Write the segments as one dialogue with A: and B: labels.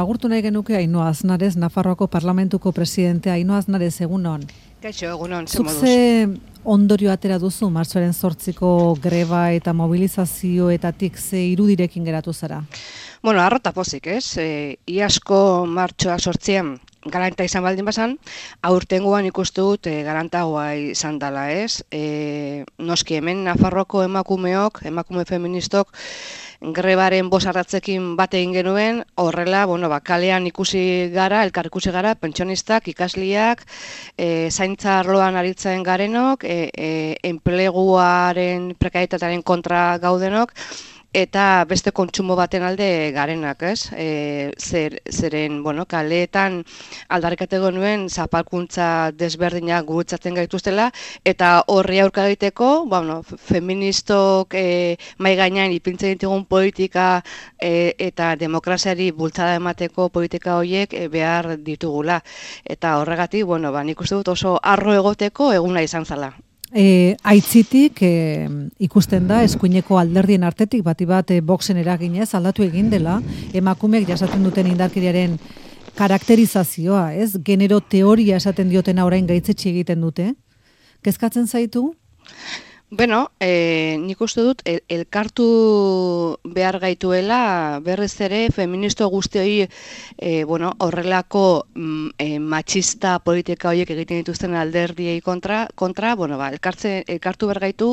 A: Agurtu nahi genuke Ainhoa Aznarez, Nafarroako Parlamentuko presidentea. Ainhoa Aznarez, egunon.
B: Kaixo, egunon, ze moduz.
A: Zuk ze ondorio atera duzu, martxoaren 8ko greba eta mobilizazioetatik ze irudirekin geratu zara?
B: Bueno, arrota pozik, ez? Iazko martxoa 8 garanta izan baldin bazan, aurtengoan ikustu dut garantagoa izan dela, ez? Noski hemen Nafarroako emakume feministok, grebaren bosarratzekin bat egin genuen, horrela, kalean elkar ikusi gara, pentsionistak, ikasliak, zaintza arloan aritzen garenok, enpleguaren prekarietatearen kontra gaudenok, eta beste kontsumo baten alde garenak, ez? Zeren, kaleetan aldarrikateko nuen zapalkuntza desberdinak gurutzatzen gaituztela, eta horri aurka egiteko, feministok mai gainean ipintzen ditugun politika eta demokraziari bultzada emateko politika horiek behar ditugula. Eta horregatik, nik uste dut oso arro egoteko eguna izan zela.
A: Aitzitik ikusten da eskuineko alderdien artetik bati bat Voxen eraginez aldatu egin dela emakumeek jasaten duten indarkeriaren karakterizazioa, ez? Genero teoria esaten diotena orain gaitzetsi egiten dute. Kezkatzen zaitu?
B: Nik uste dut elkartu behar gaituela berriz ere feministo guztioi horrelako matxista politika horiek egiten dituzten alderdiei kontra, elkartu behar gaitu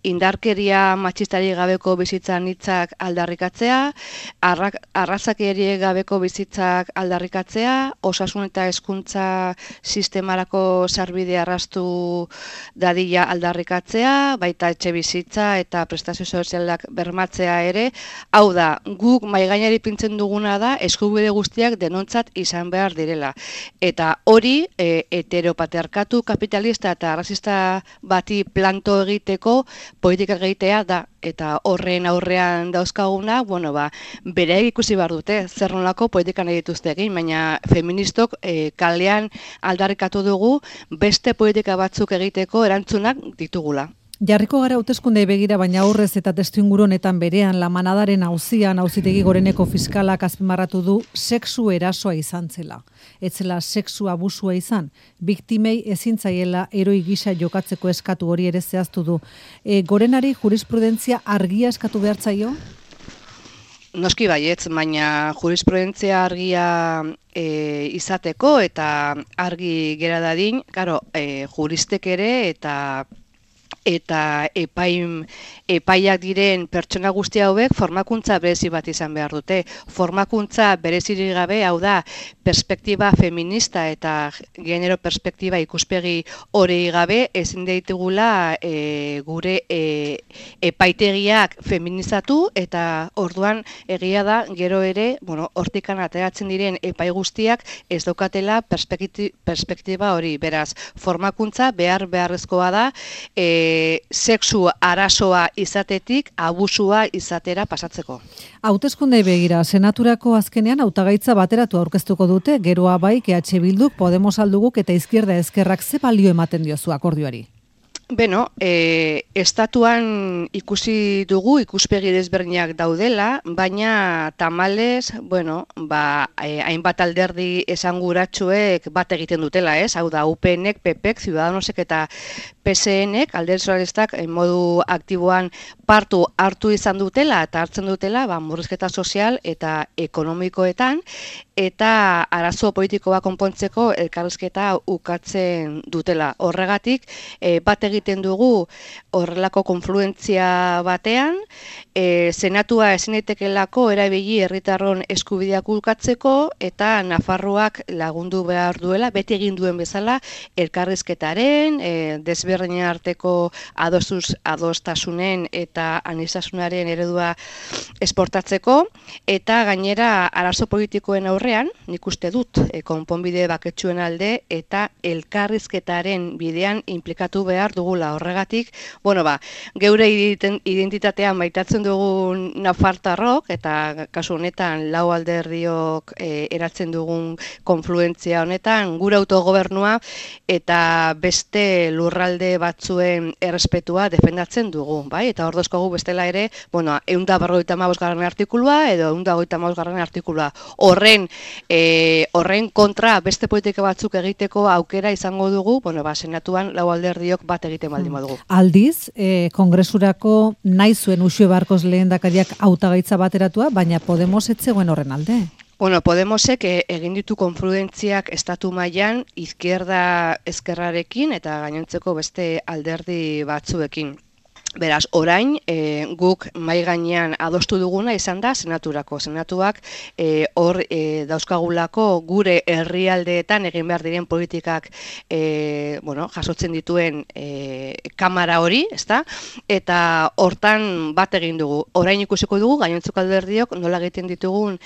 B: indarkeria matxistari gabeko bizitzan hitzak aldarrikatzea, arrazakeri gabeko bizitzak aldarrikatzea, osasun eta hezkuntza sistemarako sarbidea arrastu dadila aldarrikatzea, baita etxe bizitza eta prestazio sozialak bermatzea ere. Hau da, guk maigainari pintzen duguna da eskubide guztiak denontzat izan behar direla. Eta hori heteropatriarkatu kapitalista eta arrazista bati planto egiteko politika egitea da. Eta horren aurrean dauzkaguna, bere ikusi behar dute, zer nolako politika nahi dituzte egin, baina feministok kalean aldarrikatu dugu beste politika batzuk egiteko erantzunak ditugula.
A: Jarriko gara hauteskundei begira, baina aurrez eta testuinguru honetan berean La Manadaren auzian Auzitegi Goreneko fiskalak azpimarratu du sexu erasoa izan zela. Ez zela sexu abusua izan, biktimei ezin zaiela heroi gisa jokatzeko eskatu hori ere zehaztu du. Gorenari jurisprudentzia argia eskatu behar zaio?
B: Noski baietz, baina jurisprudentzia argia izateko eta argi gera dadin, juristek ere eta epaiak diren pertsona guzti hauek formakuntza berezi bat izan behar dute. Formakuntza berezirik gabe, hau da, perspektiba feminista eta genero perspektiba ikuspegi hori gabe, ezin ditugula gure epaitegiak feminizatu, eta orduan egia da, gero ere, hortikan ateratzen diren epai guztiak ez daukatela perspektiba hori. Beraz, formakuntza beharrezkoa da, sexu arazoa izatetik abusua izatera pasatzeko.
A: Hauteskundei begira, senaturako azkenean hautagaitza bateratu aurkeztuko dute, geroa bai EH Bilduk, Podemos alduguk eta Izquierda Ezkerrak ze balio ematen diozu akordioari?
B: Estatuan ikusi dugu ikuspegi desberdinak daudela, baina tamalez, hainbat alderdi esanguratsuek bat egiten dutela, ez? Hau da, UPNek, PPek, Ciudadanosek eta PSNek, alderdi sozialistak modu aktiboan partu hartu izan dutela eta hartzen dutela, murrizketa sozial eta ekonomikoetan, eta arazo politikoa konpontzeko elkarrizketa ukatzen dutela. Horregatik, bat egiten dugu horrelako konfluentzia batean, senatua ezin daitekeelako erabili herritarron eskubideak ukatzeko eta Nafarroak lagundu behar duela, beti egin duen bezala, elkarrizketaren, desberdinen arteko adostasunen eta aniztasunaren eredua esportatzeko, eta gainera arazo politikoen aurrean, nik uste dut, konponbide baketsuen alde eta elkarrizketaren bidean inplikatu behar dugu dugula horregatik, geure identitatean maitatzen dugun nafartarrok, eta kasu honetan lau alderdiok eratzen dugun konfluentzia honetan, gure autogobernua eta beste lurralde batzuen errespetua defendatzen dugu, bai? Eta hor dauzkagu bestela ere, 155. artikulua edo 155. artikulua. Horren kontra beste politika batzuk egiteko aukera izango dugu, senatuan lau alderdiok bat egiten baldin badugu.
A: Aldiz, kongresurako nahi zuen Uxue Barkos lehendakariak hautagaitza bateratua, baina Podemos ez zegoen horren alde.
B: Podemosek egin ditu konfluentziak estatu mailan izquierda ezkerrarekin eta gainontzeko beste alderdi batzuekin. Beraz, orain guk mai gainean adostu duguna izan da senaturako. Senatuak hor dauzkagulako gure herrialdeetan egin behar diren politikak jasotzen dituen kamara hori, ezta? Eta hortan bat egin dugu. Orain ikusiko dugu gainontzeko alderdiok nola egiten ditugun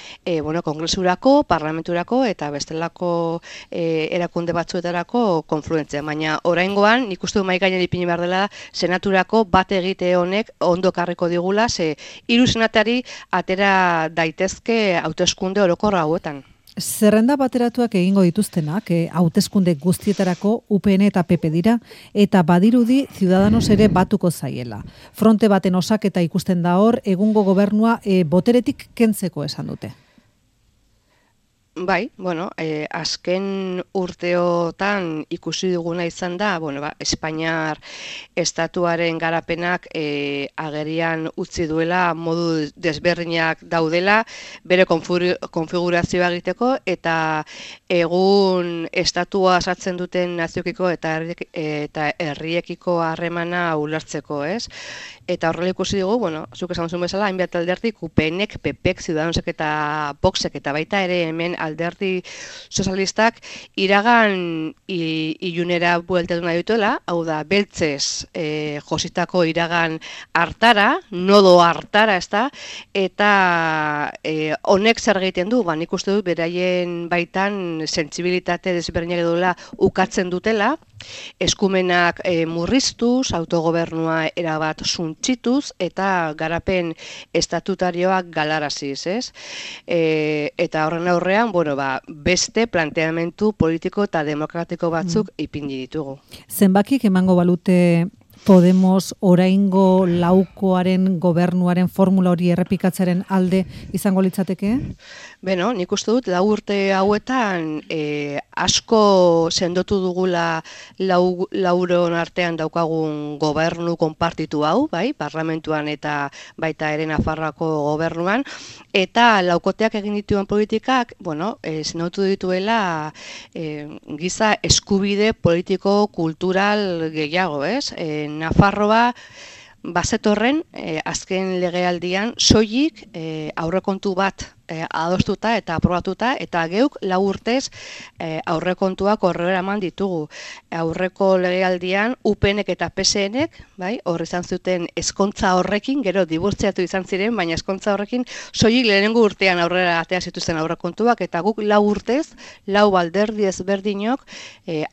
B: kongresurako, parlamenturako eta bestelako erakunde batzuetarako konfluentzia. Baina oraingoan nik uste du mai gainean ipini behar dela senaturako bat egite honek ondo karriko digula, ze 3 senatari atera daitezke hauteskunde orokor hauetan.
A: Zerrenda bateratuak egingo dituztenak, hauteskunde guztietarako UPN eta PP dira, eta badirudi Ciudadanos ere batuko zaiela. Fronte baten osaketa ikusten da hor, egungo gobernua boteretik kentzeko esan dute.
B: Bai, azken urteotan ikusi duguna izan da, Espainiar estatuaren garapenak agerian utzi duela, modu desberdinak daudela, bere konfigurazioa egiteko, eta egun estatua sartzen duten naziokiko eta herriekiko harremana ulertzeko, ez? Eta horrela ikusi dugu, zuk esan zuen bezala, hainbat alderdik, UPNek, PPek, Ciudadanosek eta Voxek, eta baita ere hemen alderdi sozialistak iragan ilunera bueltatu nahi dituela, hau da, beltzez jositako iragan hartara, nodo hartara, ezta, eta honek zer egiten du, nik uste dut beraien baitan sentsibilitate desberdinak duela ukatzen dutela, eskumenak murriztuz, autogobernua erabat suntsituz eta garapen estatutarioak galaraziz, ez? Eta horren aurrean, beste planteamendu politiko eta demokratiko batzuk ipini ditugu.
A: Zenbakik emango balute Podemos oraingo laukoaren gobernuaren formula hori errepikatzaren alde izango litzateke?
B: Nik uste dut, 4 urte hauetan asko sendotu dugula lauron artean daukagun gobernu konpartitu hau, bai, parlamentuan eta baita ere Nafarroako gobernuan, eta laukoteak egin dituen politikak, sendotu dituela giza eskubide politiko kultural gehiago, ez? Nafarroa bazetorren azken legealdian soilik aurrekontu bat adostuta eta aprobatuta, eta geuk 4 urtez aurrekontuak horrela eman ditugu. Aurreko legealdian UPNek eta PSNek, bai, hor izan zuten ezkontza horrekin, gero dibortziatu izan ziren, baina ezkontza horrekin soilik lehenengo urtean aurrera atea zituzten aurrekontuak, eta guk 4 urtez, 4 alderdi ezberdinok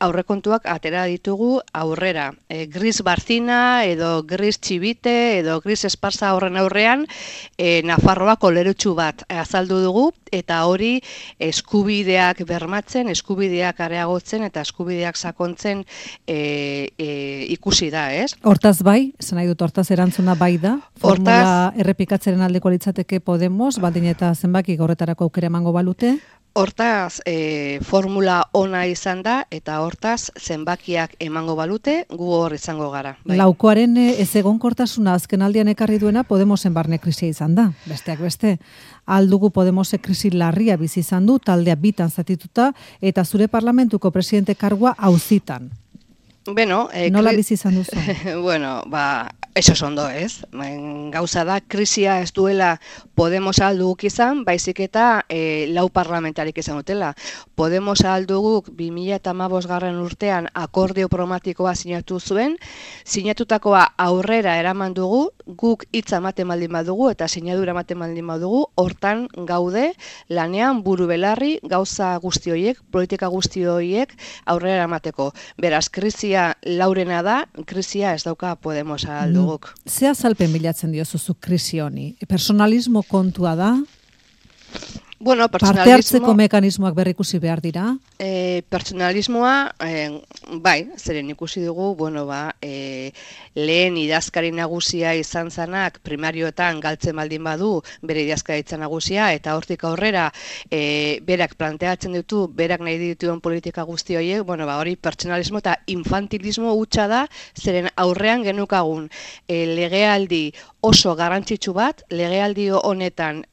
B: aurrekontuak atera ditugu aurrera. Gris Barcina edo Gris Txibite edo Gris Esparza horren aurrean Nafarroa kolerutxu bat azaldu dugu, eta hori eskubideak bermatzen, eskubideak areagotzen eta eskubideak sakontzen ikusi da, ez?
A: Hortaz bai, nahi dut hortaz erantzuna bai da, formula errepikatzeren aldeko litzateke Podemos, baldin eta zenbaki horretarako aukera emango balute?
B: Hortaz, formula ona izan da, eta hortaz zenbakiak emango balute, gu hor izango gara. Bai.
A: Laukoaren ezegonkortasuna azken aldian ekarri duena Podemosen barne krisia izan da, besteak beste. Aldugu Podemosek krisi larria bizi izan du, taldea bitan zatituta, eta zure parlamentuko presidente kargua auzitan. Nola bizi izan duzu?
B: Eso ondo, ez? Gauza da, krisia ez duela Podemos alduguk izan, baizik eta 4 parlamentarik izan dutela. Podemos alduguk 2015 urtean akordio programatikoa sinatu zuen, sinatutakoa aurrera eraman dugu, guk hitza ematen baldin badugu eta sinadura ematen baldin badugu, hortan gaude lanean buru belarri gauza guzti horiek, politika guzti horiek aurrera eramateko. Beraz, krisi krisia laurena da, krisia ez dauka Podemos alduguk.
A: Ze azalpen bilatzen diozu krisi honi? Personalismo kontua da?
B: Bueno,
A: parte hartzeko mekanismoak berrikusi behar dira?
B: Pertsonalismoa, bai, zeren ikusi dugu, lehen idazkari nagusia izan zanak primarioetan galtzen baldin badu bere idazkaritza nagusia, eta hortik aurrera berak planteatzen ditu, berak nahi dituen politika guzti horiek, hori pertsonalismo eta infantilismo hutsa da, zeren aurrean genukagun legealdi oso garrantzitsu bat, legealdi honetan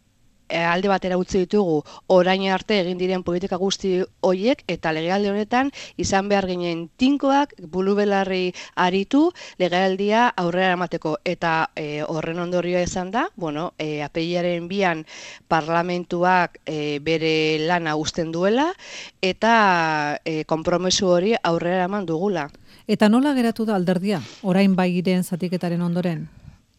B: alde batera utzi ditugu orain arte egin diren politika guzti horiek, eta legealdi honetan izan behar ginen tinkoak, bulubelarri aritu legealdia aurrera eramateko, eta horren ondorioa izan da, apirilaren 2an parlamentuak bere lana uzten duela, eta konpromesu hori aurrera eraman dugula.
A: Eta nola geratu da alderdia, orain bairen zatiketaren ondoren?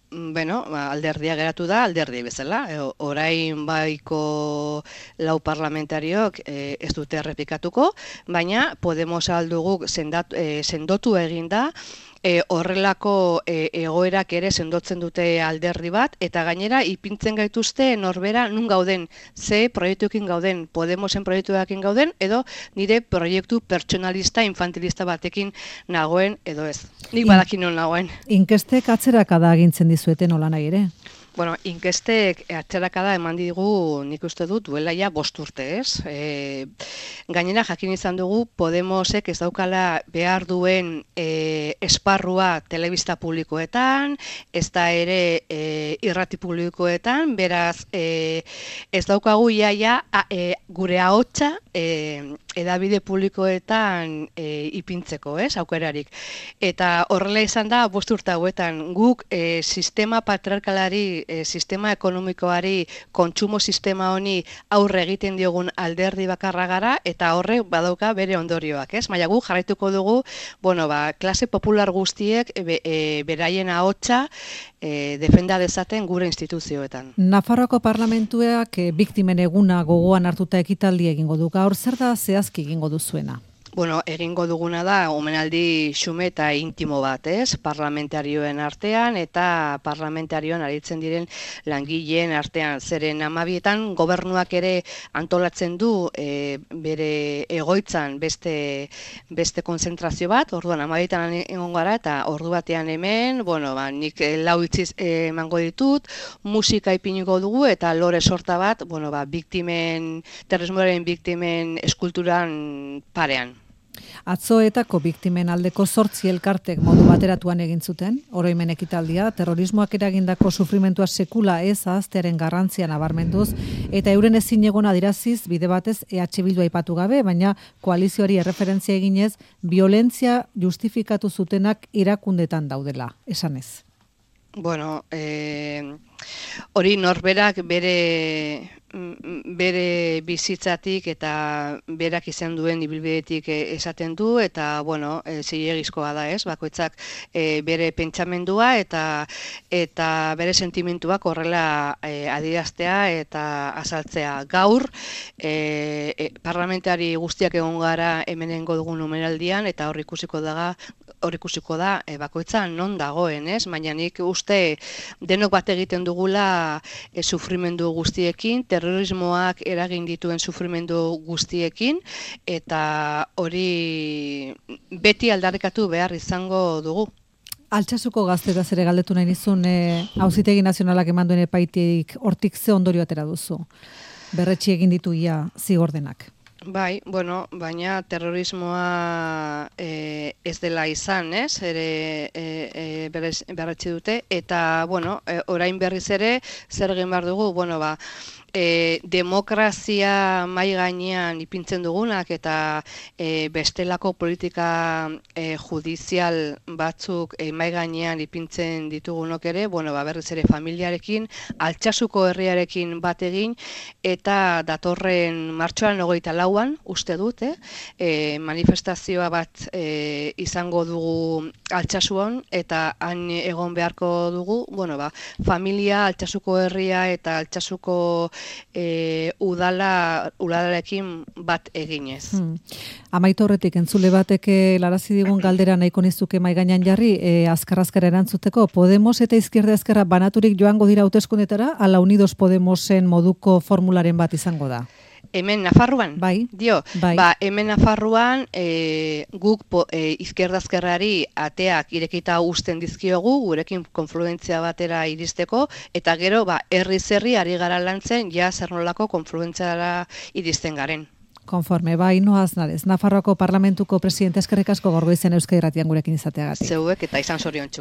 B: Alderdia geratu da, alderdi bezala. Orain baiko lau parlamentariok ez dute errepikatuko, baina Podemos alduguk sendotu egin da, horrelako egoerak ere sendotzen dute alderdi bat, eta gainera ipintzen gaituzte norbera nun gauden, ze proiektuekin gauden, Podemosen proiektuekin gauden, edo nire proiektu pertsonalista, infantilista batekin nagoen, edo ez. Nik badakin non nagoen.
A: Inkestek atzerakada agintzen dizueten nola nahi ere?
B: Inkestek atzerakada eman digu, nik uste dut, duela ja 5 urte, ez? Gainera, jakin izan dugu, Podemosek ez daukala behar duen esparrua telebista publikoetan, ez da ere irrati publikoetan, beraz, ez daukagu iaia gure ahotsa edabide publikoetan ipintzeko, ez, aukerarik. Eta horrela izan da, 5 urte hauetan, guk sistema patriarkalari, sistema ekonomikoari, kontsumo sistema honi aurre egiten diogun alderdi bakarra gara, eta horrek badauka bere ondorioak, ez? Baina guk jarraituko dugu, klase popular guztiek beraien ahotsa defenda dezaten gure instituzioetan.
A: Nafarroako parlamentuak biktimen eguna gogoan hartuta ekitaldi egingo du. Gaur zer da zehazki egingo duzuena?
B: Egingo duguna da omenaldi xume eta intimo bat, ez? Parlamentarioen artean eta parlamentarioan aritzen diren langileen artean. Zeren 12etan gobernuak ere antolatzen du bere egoitzan beste konzentrazio bat, orduan 12etan egon gara, eta ordu batean hemen, nik 4 hitz emango ditut, musika ipiniko dugu, eta lore sorta bat, terrorismoaren biktimen eskulturan parean.
A: Atzoetako biktimen aldeko 8 elkartek modu bateratuan egin zuten, oroimen ekitaldia, terrorismoak eragindako sufrimentua sekula ez ahaztearen garrantzia nabarmenduz, eta euren ezinegon adiraziz bide batez EH Bildu aipatu gabe, baina koalizioari erreferentzia eginez, violentzia justifikatu zutenak erakundetan daudela, esanez.
B: Hori norberak bere bizitzatik eta berak izan duen ibilbidetik esaten du, eta zilegizkoa da, ez? Bakoitzak bere pentsamendua eta bere sentimentuak horrela adieraztea eta azaltzea. Gaur parlamentari guztiak egon gara hemenengo dugun omenaldian, eta hor ikusiko da bakoitza non dagoen, ez? Baina nik uste denok bat egiten dugula sufrimendu guztiekin, terrorismoak eragin dituen sufrimendu guztiekin, eta hori beti aldarrikatu behar izango dugu.
A: Altsasuko gaztetaz ere galdetu nahi nizun, Auzitegi Nazionalak eman duen epaitik hortik ze ondorio atera duzu? Berretsi egin ditu ia zigordenak.
B: Bai, baina terrorismoa ez dela izan, ez? Berretsi dute, eta, orain berriz ere, zer egin behar dugu, demokrazia mai gainean ipintzen dugunak eta bestelako politika judizial batzuk mai gainean ipintzen ditugunok ere, berriz ere familiarekin, Altsasuko herriarekin bat egin, eta datorren martxoaren 24an, uste dut, manifestazioa bat izango dugu Altsasuan, eta han egon beharko dugu, familia, Altsasuko herria eta Altsasuko udalarekin bat eginez.
A: Amaitu horretik, entzule batek larazi digun galdera nahiko nizuke mahai gainean jarri, azkar-azkar erantzuteko, Podemos eta Izquierda Ezkerra banaturik joango dira hauteskundetara, ala Unidos Podemosen moduko formularen bat izango da?
B: Hemen Nafarroan?
A: Bai.
B: Bai. Hemen Nafarroan guk Izquierda Ezkerrari ateak irekita uzten dizkiogu, gurekin konfluentzia batera iristeko, eta gero herri ari gara lantzen ja zer nolako konfluentziara iristen garen.
A: Konforme, Ainhoa Aznarez, Nafarroako Parlamentuko presidente, eskerrik asko gaur goizean Euskadi Irratian gurekin izateagatik.
B: Zeuek eta izan zoriontsu.